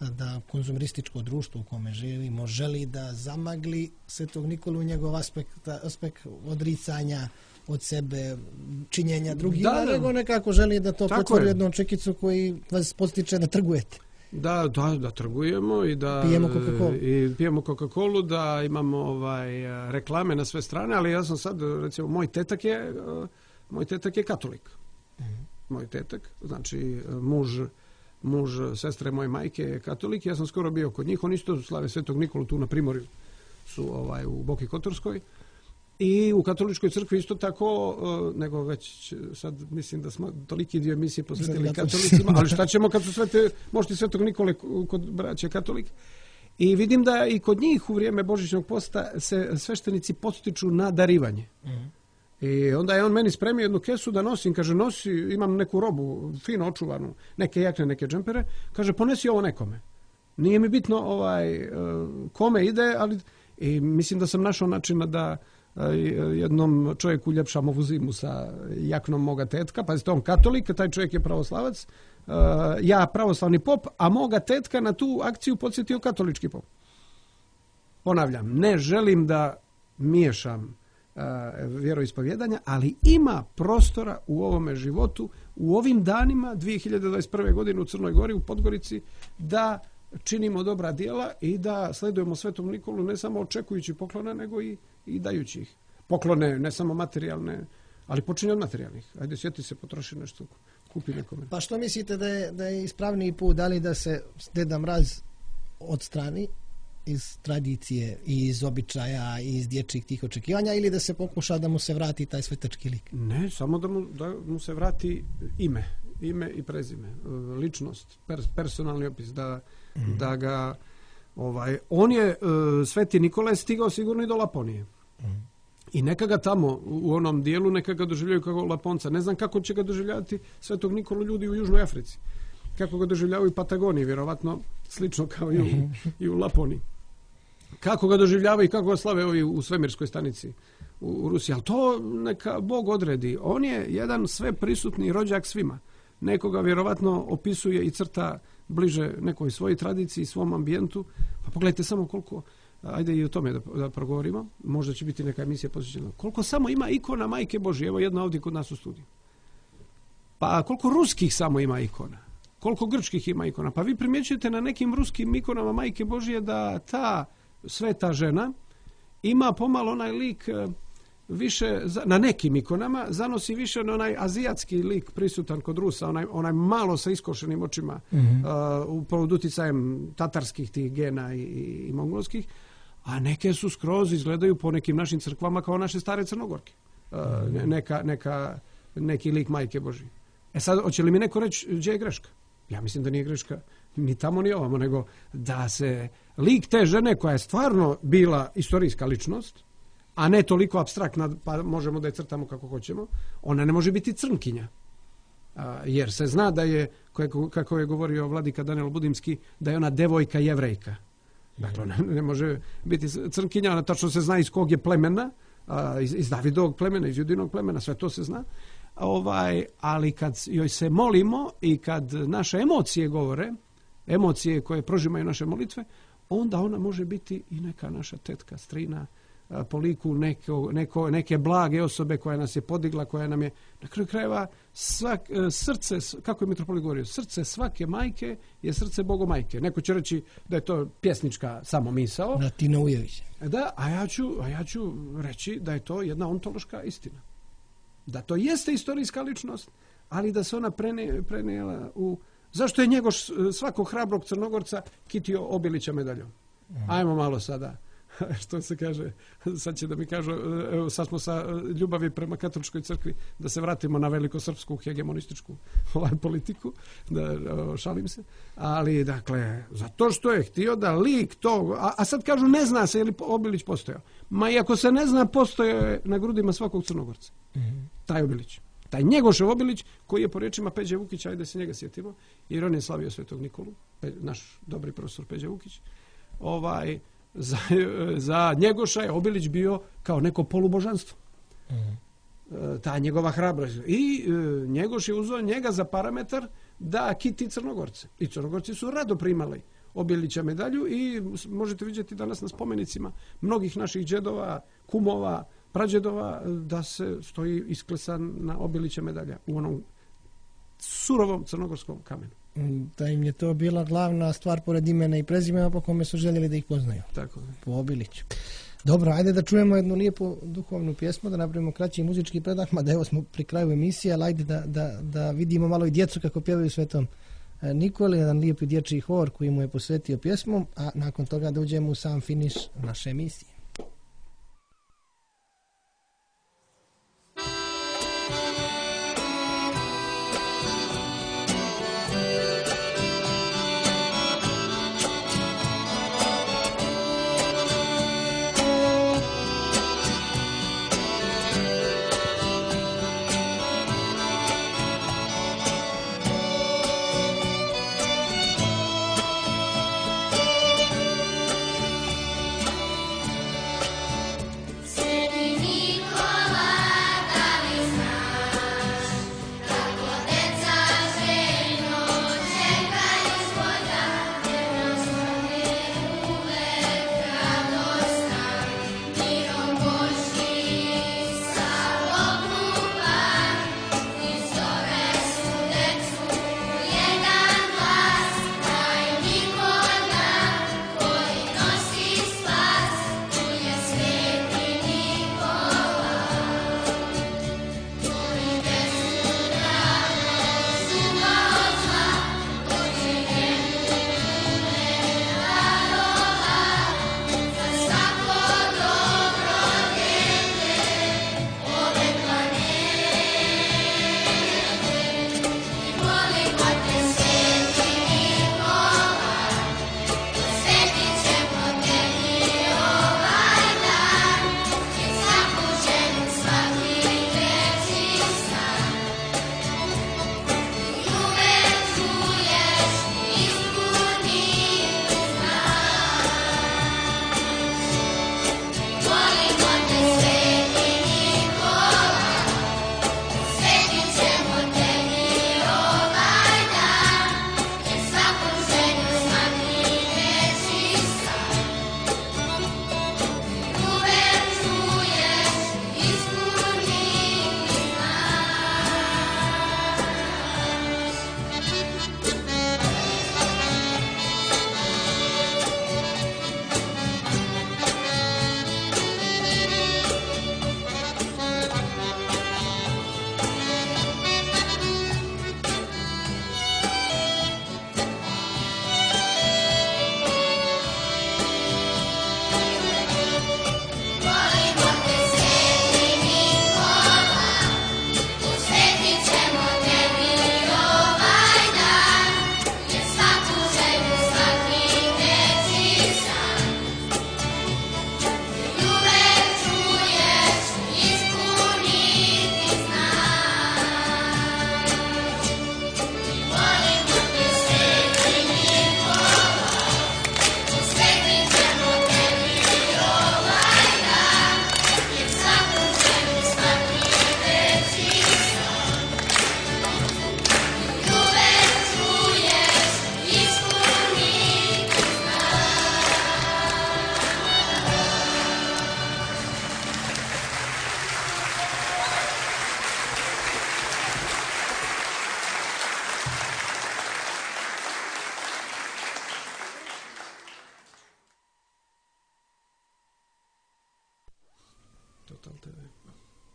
da konzumerističko društvo u kome živimo želi da zamagli Svetog Nikolu, njegov aspekt, aspekt odricanja od sebe, činjenja drugima, da, da. nego nekako želi da to pretvori u jednu čekicu koji vas postiče da trgujete. Da, da, da trgujemo i da pijemo Coca-Colu. I pijemo Coca-Colu, da imamo ovaj reklame na sve strane, ali ja sam sad, recimo, moj tetak je moj tetak je katolik. Moj tetak, znači muž, muž sestre moje majke je katolik. Ja sam skoro bio kod njih. Oni isto slave Svetog Nikolu tu na Primorju. Su ovaj, u Boki Kotorskoj. I u katoličkoj crkvi isto tako, nego već sad mislim da smo toliki dio emisije posvetili katolicima, ali šta ćemo kad su svete, možete Svetog Nikole kod braće katolik. I vidim da i kod njih u vrijeme Božićnog posta se sveštenici podstiču na darivanje. Mm. I onda je on meni spremio jednu kesu da nosim, kaže nosi, imam neku robu fino očuvanu, neke jakne, neke džempere, kaže ponesi ovo nekome. Nije mi bitno ovaj kome ide, ali i mislim da sam našao načina da jednom čovjeku uljepšam ovu zimu sa jaknom moga tetka, pazite, on katolik, taj čovjek je pravoslavac, ja pravoslavni pop, a moga tetka na tu akciju podsjetio katolički pop. Ponavljam, ne želim da miješam vjeroispovjedanja, ali ima prostora u ovome životu, u ovim danima dvije hiljade dvadeset prve. godine u Crnoj Gori, u Podgorici, da činimo dobra djela i da sledujemo Svetom Nikolu ne samo očekujući poklone, nego i, i dajući ih. Poklone ne samo materijalne, ali počinje od materijalnih. Ajde, sjeti se, potroši nešto, kupi nekome. Pa što mislite da je, da je ispravniji put, da li da se Deda Mraz odstrani iz tradicije i iz običaja i iz dječjih tih očekivanja, ili da se pokuša da mu se vrati taj svetački lik? Ne, samo da mu, da mu se vrati ime. Ime i prezime, ličnost, pers, personalni opis, da, mm. da ga ovaj, on je, Sveti Nikola je stigao sigurno i do Laponije. Mm. I neka ga tamo u onom dijelu neka ga doživljaju kao Laponca. Ne znam kako će ga doživljavati Svetog Nikolu ljudi u Južnoj Africi. Kako ga doživljavaju u Patagoniji, vjerovatno slično kao i u, i u Laponiji. Kako ga doživljavaju i kako ga slave ovi u svemirskoj stanici u, u Rusiji. Ali to neka Bog odredi. On je jedan sve prisutni rođak svima. Nekoga vjerovatno opisuje i crta bliže nekoj svojoj tradiciji, svom ambijentu. Pa pogledajte samo koliko, ajde i o tome da, da progovorimo, možda će biti neka emisija posvećena. Koliko samo ima ikona Majke Božje, evo jedna ovdje kod nas u studiju. Pa koliko ruskih samo ima ikona, koliko grčkih ima ikona. Pa vi primjećujete na nekim ruskim ikonama Majke Božje da ta sveta žena ima pomalo onaj lik više, na nekim ikonama zanosi više na onaj azijatski lik prisutan kod Rusa, onaj, onaj malo sa iskošenim očima, mm-hmm. uh, pod utjecajem tatarskih tih gena i, i mongolskih, a neke su skroz izgledaju po nekim našim crkvama kao naše stare Crnogorke. Uh, mm-hmm. neka, neka, neki lik Majke Božje. E sad, hoće li mi neko reći gdje je greška? Ja mislim da nije greška ni tamo ni ovamo, nego da se lik te žene koja je stvarno bila istorijska ličnost, a ne toliko apstraktna, pa možemo da je crtamo kako hoćemo, ona ne može biti crnkinja. A, jer se zna da je, kako je govorio vladika Danilo Budimski, da je ona devojka jevrejka. Dakle, ona ne može biti crnkinja, ona tačno se zna iz kog je plemena, a, iz, iz Davidovog plemena, iz Judinog plemena, sve to se zna. Ovaj, ali kad joj se molimo i kad naše emocije govore, emocije koje prožimaju naše molitve, onda ona može biti i neka naša tetka, strina, po liku neko, neko, neke blage osobe koja nas je podigla, koja nam je na kraju krajeva svak, srce, kako je mitropolit govorio, srce svake majke je srce Bogomajke. Neko će reći da je to pjesnička samo misao. Martina Ujević. Da, a ja, ću, a ja ću reći da je to jedna ontološka istina. Da to jeste istorijska ličnost, ali da se ona prene, prenijela u... Zašto je Njegoš svakog hrabrog Crnogorca kitio Obilića medaljom? Mm. Ajmo malo sada. Što se kaže, sad će da mi kažu, evo sad smo sa ljubavi prema katoličkoj crkvi, da se vratimo na velikosrpsku hegemonističku ovaj, politiku, da šalim se, ali dakle, zato što je htio da lik to, a, a sad kažu ne zna se je li Obilić postojao. Ma iako se ne zna, postojao je na grudima svakog Crnogorca. Mm-hmm. Taj Obilić. Taj Njegošev Obilić, koji je po riječima Peđe Vukića, ajde se njega sjetimo, jer on je slavio Svetog Nikolu, naš dobri profesor Peđe Vukić, ovaj, Za, za Njegoša je Obilić bio kao neko polubožanstvo. Mm. Ta njegova hrabrost. I e, Njegoš je uzeo njega za parametar da kiti Crnogorce. I Crnogorci su rado primali Obilića medalju i možete vidjeti danas na spomenicima mnogih naših džedova, kumova, prađedova da se stoji isklesan na Obilića medalja u onom surovom crnogorskom kamenu. Da im je to bila glavna stvar pored imena i prezimena po kome su željeli da ih poznaju. Tako je. Po Obiliću. Dobro, ajde da čujemo jednu lijepu duhovnu pjesmu, da napravimo kraći muzički predah, mada evo smo pri kraju emisije, ali ajde da, da, da vidimo malo i djecu kako pjevaju Svetom Nikoli, jedan lijepi dječji hor koji mu je posvetio pjesmu, a nakon toga da uđemo u sam finiš naše emisije.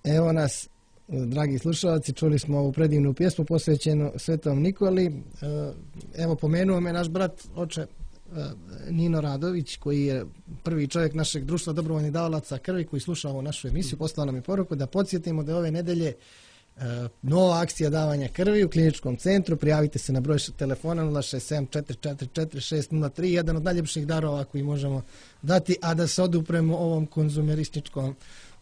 Evo nas, dragi slušalci, čuli smo ovu predivnu pjesmu posvećenu Svetom Nikoli. Evo, pomenuo me naš brat, oče Nino Radović, koji je prvi čovjek našeg društva dobrovoljnih davalaca krvi, koji sluša ovu našu emisiju, poslao nam je poruku da podsjetimo da je ove nedelje nova akcija davanja krvi u kliničkom centru. Prijavite se na broj telefona nula šest sedam četiri četiri četiri šest nula tri, jedan od najljepših darova koji možemo dati, a da se odupremo ovom konzumerističkom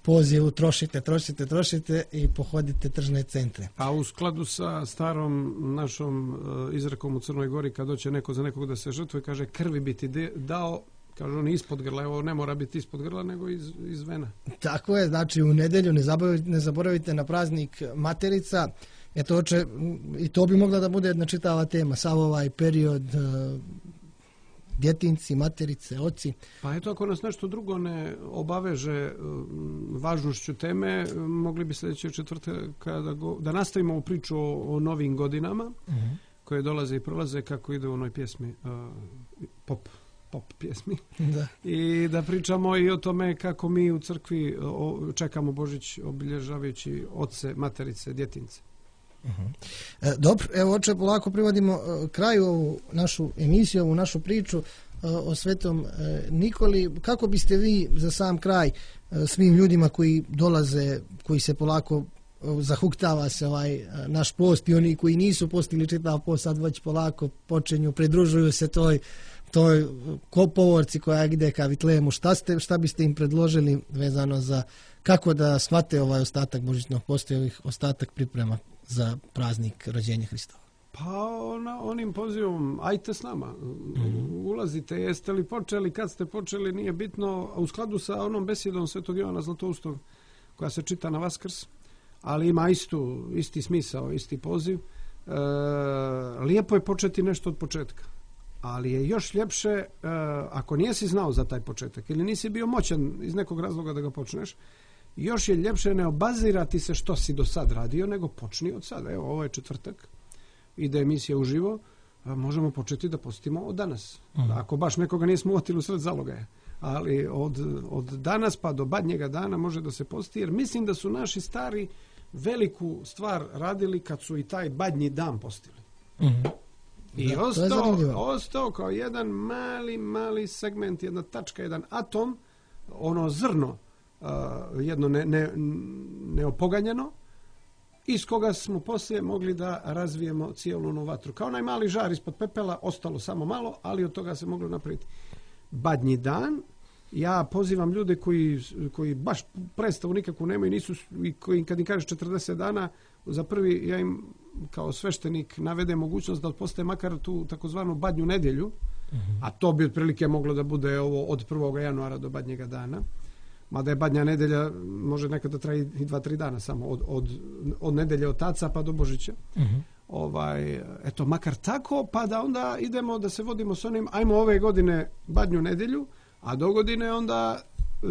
pozivu, trošite, trošite, trošite i pohodite tržne centre. A u skladu sa starom našom izrekom u Crnoj Gori, kad doće neko za nekog da se žrtvuje, kaže krvi bi ti dao, kaže on ispod grla, evo ne mora biti ispod grla, nego iz, iz vena. Tako je, znači u nedjelju ne zaboravite, ne zaboravite na praznik Materica. Eto, oče, i to bi mogla da bude jedna čitava tema, sav ovaj period djetinci, materice, oci. Pa eto, ako nas nešto drugo ne obaveže važnošću teme, mogli bi sljedeće četvrtka da, go, da nastavimo ovu priču o, o novim godinama, uh-huh. koje dolaze i prolaze, kako ide u onoj pjesmi uh, pop pop pjesmi. Da. I da pričamo i o tome kako mi u crkvi o, čekamo Božić obilježavajući oce, materice, djetince. Uh-huh. E, dobro, evo oče, polako privodimo e, kraju ovu našu emisiju, ovu našu priču e, o Svetom e, Nikoli. Kako biste vi za sam kraj e, svim ljudima koji dolaze, koji se polako zahuktava se ovaj naš post i oni koji nisu postili čitav post sad već polako počinju, pridružuju se toj toj povorci koja ide ka Vitlejemu, šta ste, šta biste im predložili vezano za kako da shvate ovaj ostatak božićnog posta i ovih ostatak priprema za praznik rođenja Hristova? Pa ona, onim pozivom, ajte s nama, mm-hmm. ulazite, jeste li počeli, kad ste počeli, nije bitno, u skladu sa onom besedom Svetog Jovana Zlatoustog koja se čita na Vaskrs, ali ima istu, isti smisao, isti poziv. E, lijepo je početi nešto od početka, ali je još ljepše e, ako nisi znao za taj početak ili nisi bio moćan iz nekog razloga da ga počneš, još je ljepše ne obazirati se što si do sad radio, nego počni od sada. Evo, ovo je četvrtak, ide emisija uživo, možemo početi da postimo od danas. Mm. Ako baš nekoga nismo uvatili u sred zalogaja. Ali od, od danas pa do badnjega dana može da se posti, jer mislim da su naši stari veliku stvar radili kad su i taj badnji dan postili. Mm. I da, ostao, ostao kao jedan mali, mali segment, jedna tačka, jedan atom, ono zrno, uh, jedno ne, ne, neopoganjeno, iz koga smo poslije mogli da razvijemo cijelu onu vatru. Kao onaj mali žar ispod pepela, ostalo samo malo, ali od toga se moglo napraviti. Badnji dan, ja pozivam ljude koji, koji baš predstavu nikakvu nemaju, nisu, i koji kad im kažeš četrdeset dana, za prvi ja im kao sveštenik navede mogućnost da postaje makar tu takozvanu badnju nedjelju, mm-hmm. a to bi otprilike moglo da bude ovo od prvog januara do badnjega dana. Mada je badnja nedelja, može nekada traji i dva, tri dana samo, od, od, od nedelje otaca pa do Božića. Mm-hmm. Ovaj, eto, makar tako, pa da onda idemo da se vodimo s onim, ajmo ove godine badnju nedelju, a do godine onda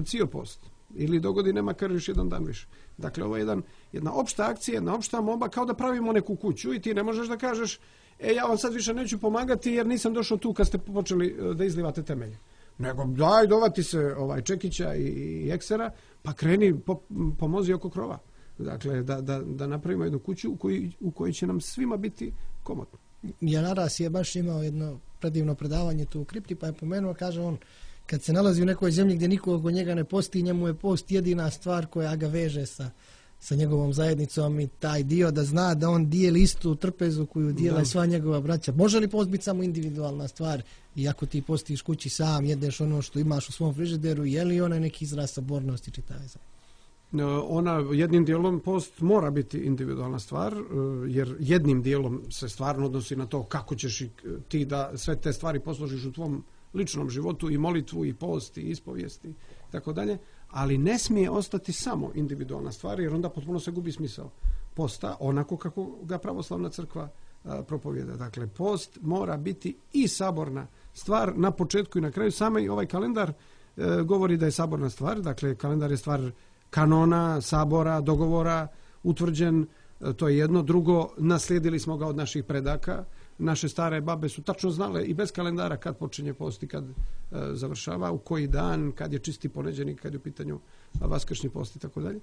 cio post. Ili do godine makar još jedan dan više. Dakle, ovo je jedan, jedna opšta akcija, jedna opšta moba, kao da pravimo neku kuću i ti ne možeš da kažeš, e, ja vam sad više neću pomagati jer nisam došao tu kad ste počeli da izlivate temelje. Nego daj, dovati se ovaj Čekića i, i Eksera, pa kreni, po, pomozi oko krova. Dakle, da, da, da napravimo jednu kuću u kojoj, u kojoj će nam svima biti komotno. Janaras je baš imao jedno predivno predavanje tu u kripti, pa je pomenuo, kaže on, kad se nalazi u nekoj zemlji gdje niko oko njega ne posti, njemu je post jedina stvar koja ga veže sa, sa njegovom zajednicom i taj dio da zna da on dijeli istu trpezu koju dijela sva njegova braća. Može li post biti samo individualna stvar i ako ti postiš kući sam, jedeš ono što imaš u svom frižideru, je li ona neki izraz sabornosti čitave za? Ona jednim dijelom post mora biti individualna stvar, jer jednim dijelom se stvarno odnosi na to kako ćeš ti da sve te stvari posložiš u tvom ličnom životu, i molitvu, i post, i ispovijesti, i tako dalje, ali ne smije ostati samo individualna stvar, jer onda potpuno se gubi smisao posta, onako kako ga pravoslavna crkva a, propovjeda. Dakle, post mora biti i saborna stvar na početku i na kraju. Same ovaj kalendar e, govori da je saborna stvar, dakle, kalendar je stvar kanona, sabora, dogovora, utvrđen, e, to je jedno. Drugo, naslijedili smo ga od naših predaka. Naše stare babe su tačno znale i bez kalendara kad počinje post i kad e, završava, u koji dan, kad je čisti poneđenik, kad je u pitanju vaskršnji post i tako dalje.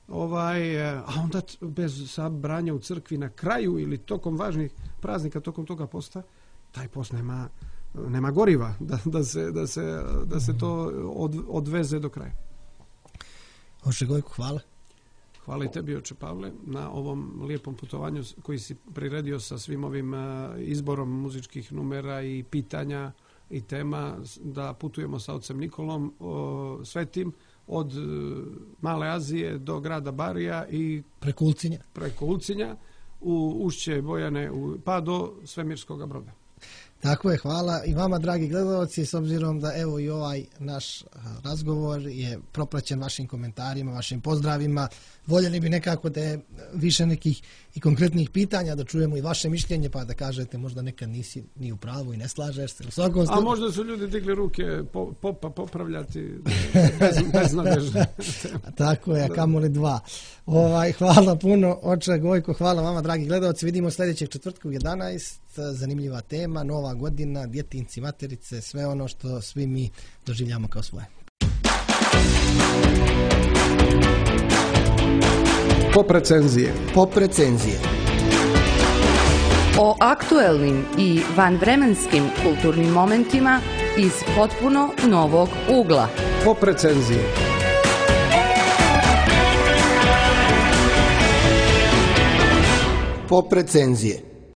Ovaj, a onda bez sabranja u crkvi na kraju ili tokom važnih praznika, tokom toga posta, taj post nema, nema goriva da, da, se, da, se, da se to od, odveze do kraja. Oče Gojko, hvala. Hvala i tebi, oče Pavle, na ovom lijepom putovanju koji si priredio sa svim ovim izborom muzičkih numera i pitanja i tema, da putujemo sa ocem Nikolom o, svetim od Male Azije do grada Barija i preko Ulcinja, preko Ulcinja u ušće Bojane u, pa do Svemirskog Broda. Tako je, hvala i vama, dragi gledalci, s obzirom da evo i ovaj naš razgovor je propraćen vašim komentarima, vašim pozdravima. Voljeli bi nekako da je više nekih i konkretnih pitanja, da čujemo i vaše mišljenje, pa da kažete možda nekad nisi ni u pravu i ne slažeš se. U svakom A možda su ljudi digli ruke po, popa popravljati bez, beznadežno. Tako je, a kamoli dva. Ovaj, hvala puno, oče Gojko, hvala vama, dragi gledalci. Vidimo sljedećeg četvrtka u jedanaest, zanimljiva tema, nova nova godina, djetinci, materice, sve ono što svi mi doživljamo kao svoje. Pop recenzije. Pop recenzije. O aktuelnim i vanvremenskim kulturnim momentima iz potpuno novog ugla. Pop recenzije. Pop recenzije.